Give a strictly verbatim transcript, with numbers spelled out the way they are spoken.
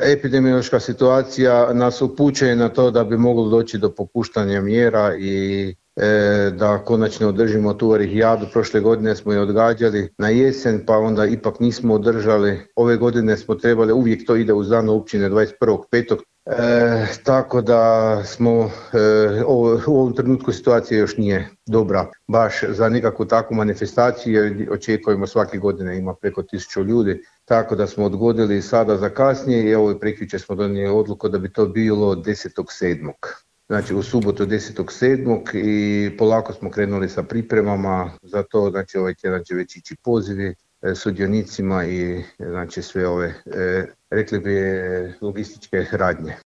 epidemiološka situacija nas upućuje na to da bi moglo doći do popuštanja mjera i e, da konačno održimo tu orihijadu. Prošle godine smo je odgađali na jesen, pa onda ipak nismo održali. Ove godine smo trebali, uvijek to ide uz dan općine dvadeset prvog petog E, tako da smo e, ovo, u ovom trenutku situacija još nije dobra baš za nekakvu takvu manifestaciju, jer očekujemo svake godine ima preko tisuću ljudi, tako da smo odgodili sada za kasnije i evo prekjučer smo donijeli odluku da bi to bilo desetog sedmog Znači u subotu desetog sedmog i polako smo krenuli sa pripremama za to, znači ovaj tjedan će već ići pozivi e, sudionicima i znači sve ove, e, rekli bi, logističke radnje.